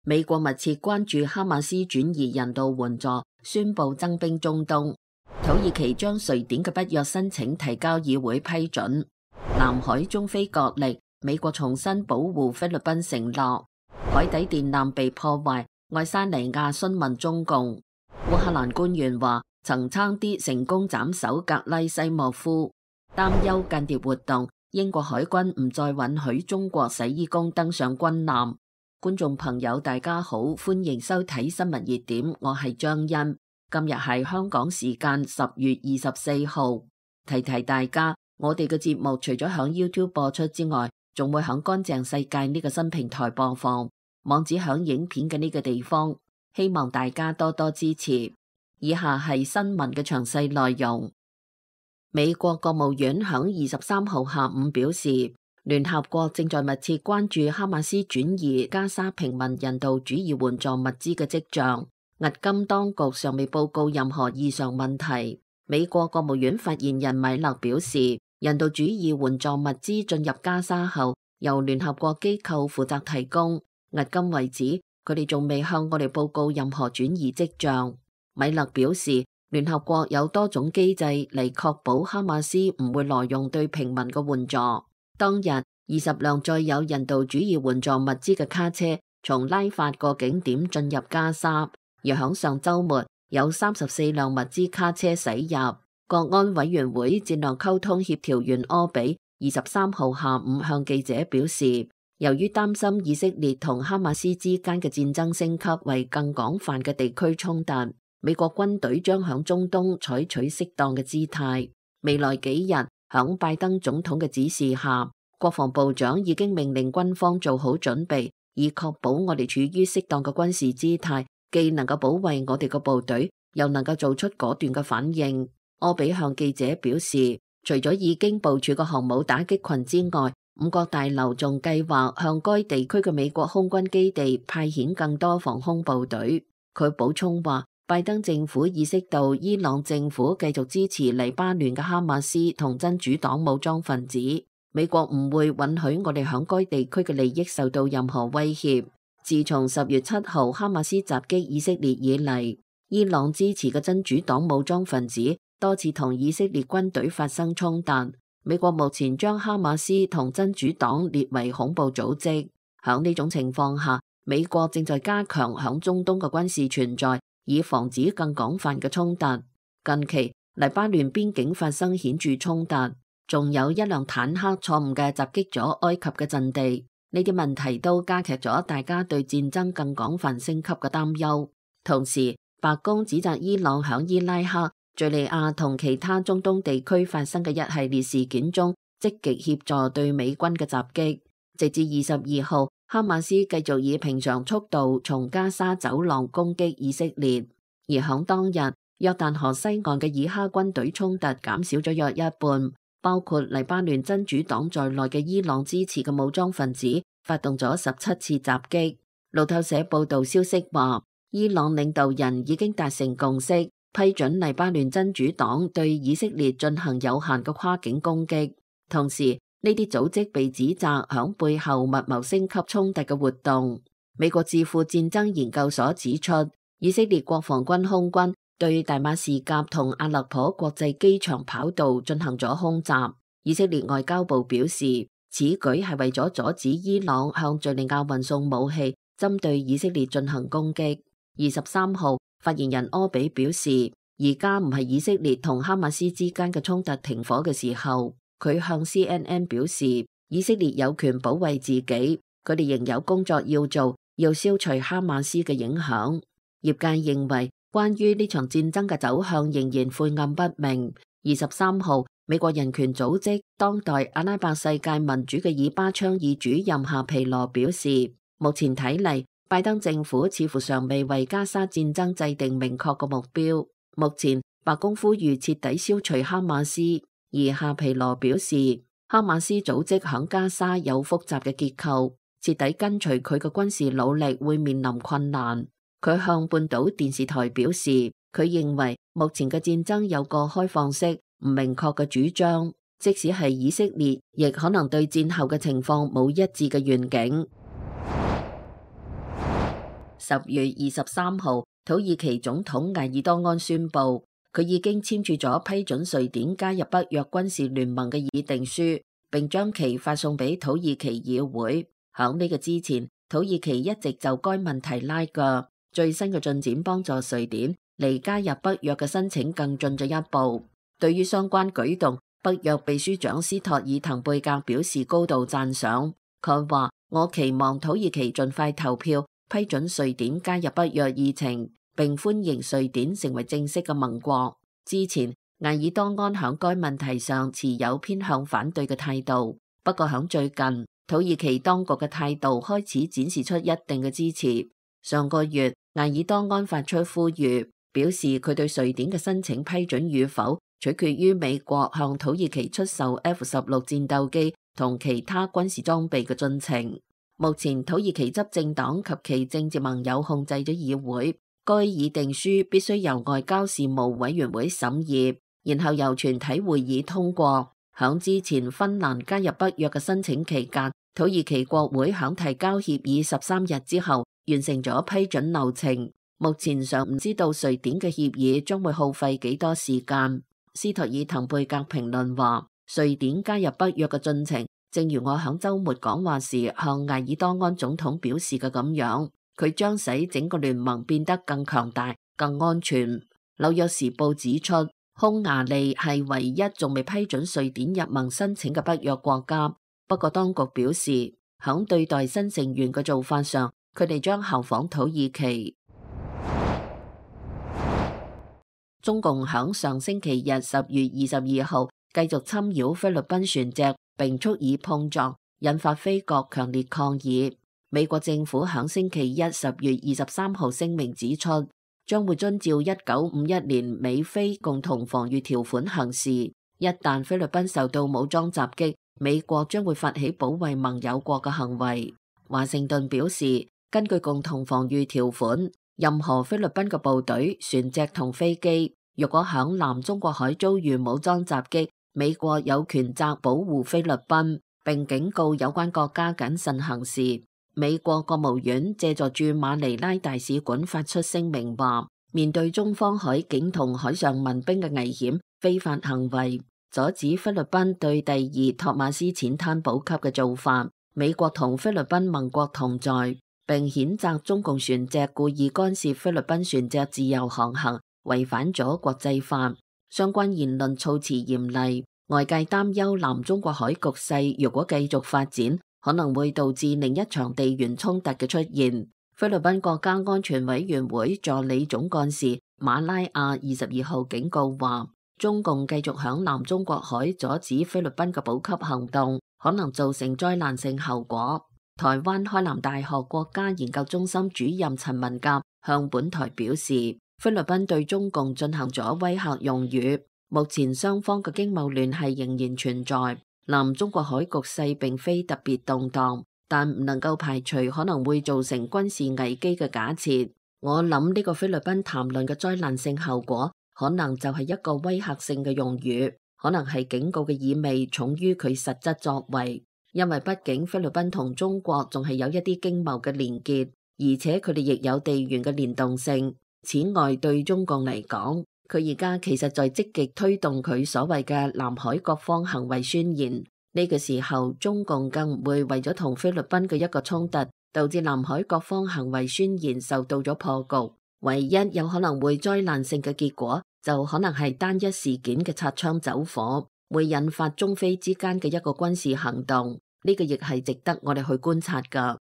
美國密切關注哈馬斯轉移人道援助，宣布增兵中東。土耳其將瑞典嘅北約申請提交議會批准。南海中非角力，美國重新保護菲律賓承諾。海底電纜被破壞，愛沙尼亞詢問中共。烏克蘭官員話曾差啲成功斬首格拉西莫夫。擔憂間諜活動，英國海軍唔再允許中國洗衣工登上軍艦。觀眾朋友大家好，歡迎收睇新聞熱點，我係張欣。今日係香港時間10月24號。提提大家，我哋嘅節目除咗響 YouTube 播出之外，仲會響乾淨世界呢個新平台播放，網址響影片嘅呢個地方，希望大家多多支持。以下係新聞嘅詳細內容。美國國務院響23號下午表示，聯合國正在密切關注哈馬斯轉移加沙平民人道主義援助物資嘅跡象。迄今當局尚未報告任何異常問題。美國國務院發言人米勒表示，人道主義援助物資進入加沙後，由聯合國機構負責提供。迄今為止，佢哋仲未向我哋報告任何轉移跡象。米勒表示，聯合國有多種機制嚟確保哈馬斯唔會挪用對平民嘅援助。當日20輛載有人道主義援助物資嘅卡車從拉法個景點進入加沙，而響上週末有34輛物資卡車駛入。國安委員會戰略溝通協調員柯比23號下午向記者表示，由於擔心以色列同哈馬斯之間嘅戰爭升級為更廣泛嘅地區衝突，美國軍隊將響中東採取適當嘅姿態。未來幾日，響拜登總統嘅指示下，國防部長已經命令軍方做好準備，以確保我哋處於適當嘅軍事姿態，既能夠保衛我哋嘅部隊，又能夠做出果斷嘅反應。柯比向記者表示，除咗已經部署嘅航母打擊群之外，五角大樓仲計劃向該地區嘅美國空軍基地派遣更多防空部隊。佢補充話，拜登政府意識到伊朗政府繼續支持黎巴嫩嘅哈馬斯同真主黨武裝分子，美國唔會允許我哋響該地區嘅利益受到任何威脅。自從10月7號哈馬斯襲擊以色列以嚟，伊朗支持嘅真主黨武裝分子多次同以色列軍隊發生衝突。美國目前將哈馬斯同真主黨列為恐怖組織。響呢種情況下，美國正在加強響中東嘅軍事存在，以防止更廣泛嘅衝突。近期黎巴嫩邊境發生顯著衝突，仲有一輛坦克錯誤嘅襲擊咗埃及嘅陣地。呢啲問題都加劇咗大家對戰爭更廣泛升級嘅擔憂。同時，白宮指責伊朗響伊拉克、敘利亞同其他中東地區發生嘅一系列事件中，積極協助對美軍嘅襲擊。直至22號，哈馬斯繼續以平常速度從加沙走廊攻擊以色列，而響當日，約旦河西岸嘅以哈軍隊衝突減少咗約一半，包括黎巴嫩真主黨在內嘅伊朗支持嘅武裝分子發動咗17次襲擊。路透社報道消息話，伊朗領導人已經達成共識，批准黎巴嫩真主黨對以色列進行有限嘅跨境攻擊。同時，呢啲組織被指責響背後密謀升級衝突嘅活動。美國智庫戰爭研究所指出，以色列國防軍空軍對大馬士革同阿勒頗國際機場跑道進行咗空襲。以色列外交部表示，此舉係為咗阻止伊朗向敘利亞運送武器，針對以色列進行攻擊。23號，發言人柯比表示，而家唔係以色列同哈馬斯之間嘅衝突停火嘅時候。佢向 CNN 表示，以色列有權保衛自己，佢哋仍有工作要做，要消除哈馬斯嘅影響。業界認為，關於呢場戰爭嘅走向仍然晦暗不明。23號，美國人權組織當代阿拉伯世界民主嘅以巴倡議主任夏皮羅表示，目前睇嚟，拜登政府似乎尚未為加沙戰爭制定明確嘅目標。目前，白宮呼籲徹底消除哈馬斯。而夏皮羅表示，哈馬斯組織響加沙有複雜嘅結構，徹底根除佢嘅軍事努力會面臨困難。佢向半島電視台表示，佢認為目前嘅戰爭有個開放式、唔明確嘅主張，即使係以色列，亦可能對戰後嘅情況冇一致嘅願景。10月23號，土耳其總統埃爾多安宣布，佢已經簽署咗批准瑞典加入北約軍事聯盟嘅議定書，並將其發送俾土耳其議會。響呢個之前，土耳其一直就該問題拉鋸，最新嘅進展幫助瑞典離加入北約嘅申請更進咗一步。對於相關舉動，北約秘書長斯托爾滕貝格表示高度讚賞。佢話：我期望土耳其盡快投票批准瑞典加入北約議程，並歡迎瑞典成為正式嘅盟國。之前，埃爾多安響該問題上持有偏向反對嘅態度，不過響最近，土耳其當局嘅態度開始展示出一定嘅支持。上個月，埃爾多安發出呼籲，表示佢對瑞典嘅申請批准與否，取決於美國向土耳其出售 F-16戰鬥機同其他軍事裝備嘅進程。目前土耳其執政黨及其政治盟友控制咗議會，該議定書必須由外交事務委員會審議，然後由全體會議通過。響之前芬蘭加入北約嘅申請期間，土耳其國會響提交協議13日之後完成咗批准流程。目前尚唔知道瑞典嘅協議將會耗費幾多時間。斯托爾滕貝格評論話，瑞典加入北約嘅進程，正如我響週末講話時向埃爾多安總統表示嘅咁樣，佢將使整個聯盟變得更強大、更安全。紐約時報指出，匈牙利係唯一仲未批准瑞典入盟申請嘅北約國家。不過當局表示，響對待新成員嘅做法上，佢哋將效仿土耳其。中共響上星期日10月22號繼續侵擾菲律賓船隻，並蓄意碰撞，引發菲國強烈抗議。美國政府響星期一10月23號聲明指出，將會遵照1951年美菲共同防禦條款行事。一旦菲律賓受到武裝襲擊，美國將會發起保衛盟友國嘅行為。華盛頓表示，根據共同防禦條款，任何菲律賓嘅部隊、船隻同飛機，若果響南中國海遭遇武裝襲擊，美國有權責保護菲律賓，並警告有關國家謹慎行事。美國國務院借助駐馬尼拉大使館發出聲明話，面對中方海警同海上民兵嘅危險、非法行為，阻止菲律賓對第二托馬斯淺灘補給嘅做法，美國同菲律賓盟國同在，並譴責中共船隻故意干涉菲律賓船隻自由航行，違反咗國際法。相關言論措辭嚴厲，外界擔憂南中國海局勢如果繼續發展，可能會導致另一場地緣衝突嘅出現。菲律賓國家安全委員會助理總幹事馬拉亞22號警告話，中共繼續響南中國海阻止菲律賓嘅補給行動，可能造成災難性後果。台灣開南大學國家研究中心主任陳文甲向本台表示，菲律賓對中共進行咗威嚇用語，目前雙方嘅經貿聯繫仍然存在。南中國海局勢並非特別動盪，但唔能夠排除可能會造成軍事危機嘅假設。我諗呢個菲律賓談論嘅災難性後果，可能就係一個威嚇性嘅用語，可能係警告嘅意味重於佢實質作為。因為畢竟菲律賓同中國仲係有一啲經貿嘅連結，而且佢哋亦有地緣嘅連動性。此外，對中共嚟講，佢而家其實在積極推動佢所謂嘅南海各方行為宣言。呢個時候，中共更唔會為咗同菲律賓嘅一個衝突，導致南海各方行為宣言受到咗破局。唯一有可能會災難性嘅結果，就可能係單一事件嘅擦槍走火，會引發中菲之間嘅一個軍事行動。呢個亦係值得我哋去觀察㗎。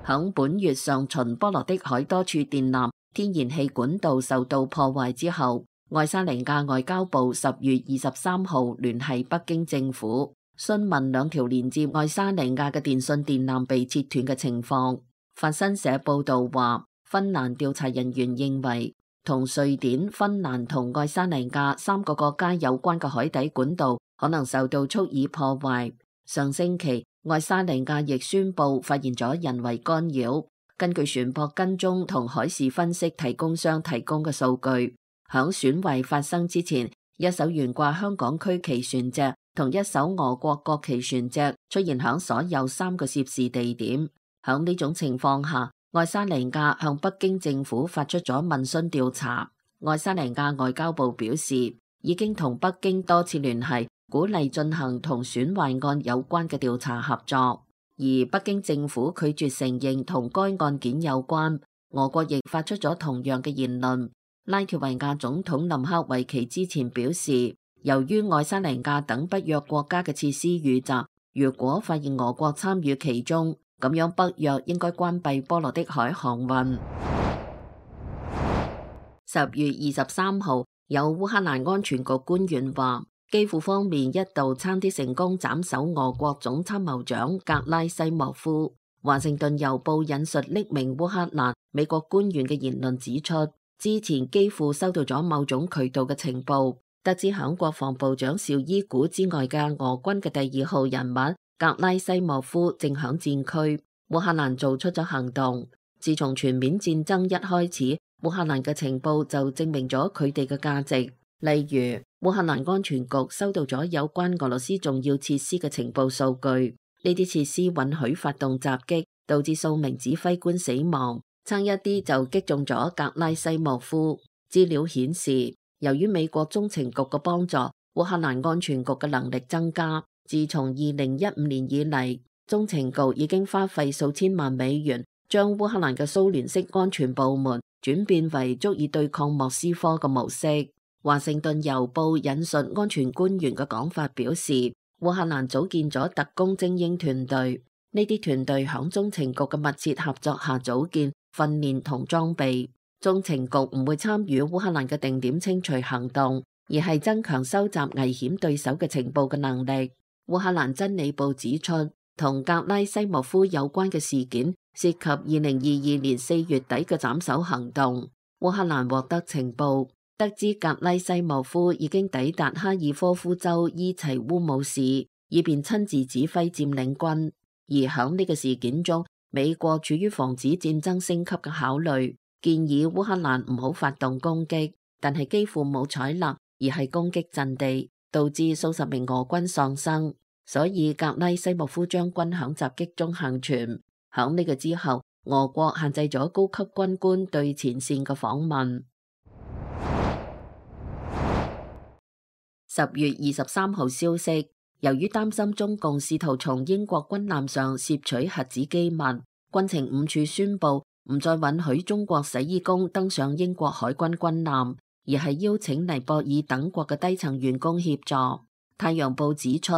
響本月上旬，波羅的海多處電纜、天然氣管道受到破壞之後，愛沙尼亞外交部10月23號聯繫北京政府，詢問兩條連接愛沙尼亞嘅電信電纜被切斷嘅情況。法新社報道話，芬蘭調查人員認為，同瑞典、芬蘭同愛沙尼亞3個國家有關嘅海底管道可能受到蓄意破壞。上星期，愛沙尼亞亦宣布發現咗人為干擾。根據船舶跟蹤同海事分析提供商提供嘅數據，響損壞發生之前，一艘懸掛香港區旗船隻同一艘俄國國旗船隻出現響所有3個涉事地點。響呢種情況下，愛沙尼亞向北京政府發出咗問詢調查。愛沙尼亞外交部表示，已經同北京多次聯繫，鼓勵進行同損壞案有關嘅調查合作。而北京政府拒絕承認同該案件有關。俄國亦發出咗同樣嘅言論。拉脫維亞總統林克維奇之前表示，由於愛沙尼亞等北約國家嘅設施遇襲，如果發現俄國參與其中，咁樣北約應該關閉波羅的海航運。10月23號，有烏克蘭安全局官員話，基輔方面一度差啲成功斬首俄國總參謀長格拉西莫夫。華盛頓郵報引述匿名烏克蘭美國官員嘅言論指出，之前基輔收到咗某種渠道嘅情報，得知響國防部長紹伊古之外嘅俄軍嘅第2號人物格拉西莫夫正響戰區。烏克蘭做出咗行動。自從全面戰爭一開始，烏克蘭嘅情報就證明咗佢哋嘅價值。例如，烏克蘭安全局收到咗有關俄羅斯重要設施嘅情報數據。呢啲設施允許發動襲擊，導致數名指揮官死亡，差一啲就擊中咗格拉西莫夫。資料顯示，由於美國中情局嘅幫助，烏克蘭安全局嘅能力增加。自從2015年以嚟，中情局已經花費數千萬美元，將烏克蘭嘅蘇聯式安全部門轉變為足以對抗莫斯科嘅模式。華盛頓郵報引述安全官員嘅講法表示，烏克蘭組建咗特工精英團隊，呢啲團隊響中情局嘅密切合作下組建、訓練同裝備。中情局唔會參與烏克蘭嘅定點清除行動，而係增強收集危險對手嘅情報嘅能力。烏克蘭真理報指出，同格拉西莫夫有關嘅事件涉及2022年4月底嘅斬首行動。烏克蘭獲得情報，得知格拉西莫夫已經抵達哈爾科夫州伊齊烏姆市，以便親自指揮佔領軍。而響呢個事件中，美國處於防止戰爭升級嘅考慮，建議烏克蘭唔好發動攻擊，但係幾乎冇採納，而係攻擊陣地，導致數十名俄軍喪生。所以格拉西莫夫將軍響襲擊中幸存。響呢個之後，俄國限制咗高級軍官對前線嘅訪問。10月23號消息，由於擔心中共試圖從英國軍艦上竊取核子機密，軍情5處宣布唔再允許中國洗衣工登上英國海軍軍艦，而係邀請尼泊爾等國嘅低層員工協助。太陽報指出，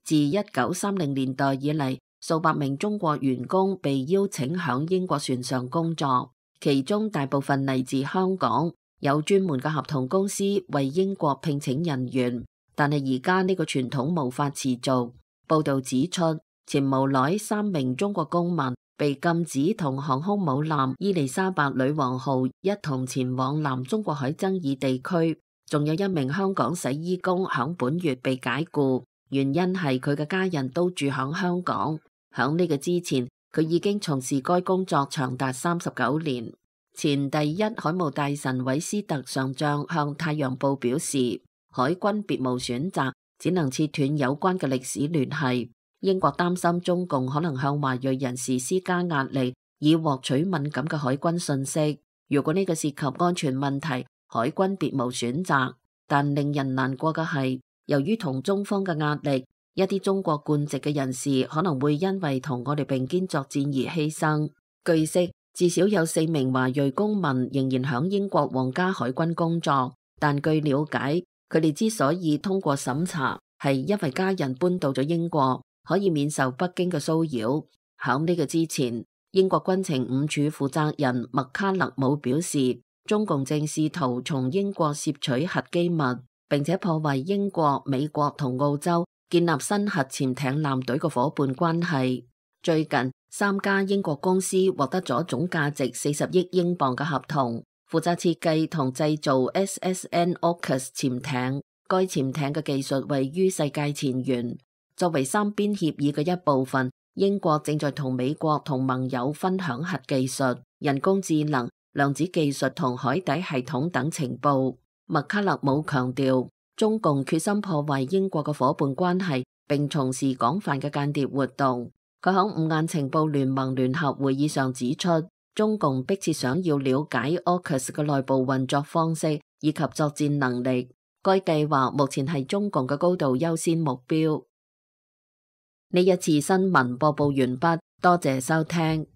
自1930年代以嚟，數百名中國員工被邀請響英國船上工作，其中大部分嚟自香港。有專門嘅合同公司為英國聘請人員，但係而家呢個傳統無法持續。報道指出，前無耐3名中國公民被禁止同航空母艦伊麗莎白女王號一同前往南中國海爭議地區，仲有1名香港洗衣工響本月被解僱，原因係佢嘅家人都住響香港。響呢個之前，佢已經從事該工作長達39年。前第一海務大臣韋斯特上將向太陽報表示，海軍別無選擇，只能切斷有關嘅歷史聯繫。英國擔心中共可能向華裔人士施加壓力，以獲取敏感嘅海軍信息。如果呢個涉及安全問題，海軍別無選擇。但令人難過嘅係，由於同中方嘅壓力，一啲中國貫籍嘅人士可能會因為同我哋並肩作戰而犧牲。據悉，至少有4名華裔公民仍然響英國皇家海軍工作，但據了解，佢哋之所以通過審查，係因為家人搬到咗英國，可以免受北京嘅騷擾。響呢個之前，英國軍情5處負責人麥卡勒姆表示，中共正試圖從英國竊取核機密，並且破壞英國、美國同澳洲建立新核潛艇艦隊嘅夥伴關係。最近3家英國公司獲得咗總價值40億英鎊嘅合同，負責設計同製造 SSN AUKUS 潛艇。該潛艇嘅技術位於世界前沿。作為3邊協議嘅一部分，英國正在同美國同盟友分享核技術、人工智能、量子技術同海底系統等情報。麥卡勒姆強調，中共決心破壞英國嘅夥伴關係，並從事廣泛嘅間諜活動。佢喺五眼情報聯盟聯合會議上指出，中共迫切想要了解 AUKUS 嘅內部運作方式以及作戰能力，該計劃目前係中共嘅高度優先目標。呢一次新聞播報完畢，多謝收聽。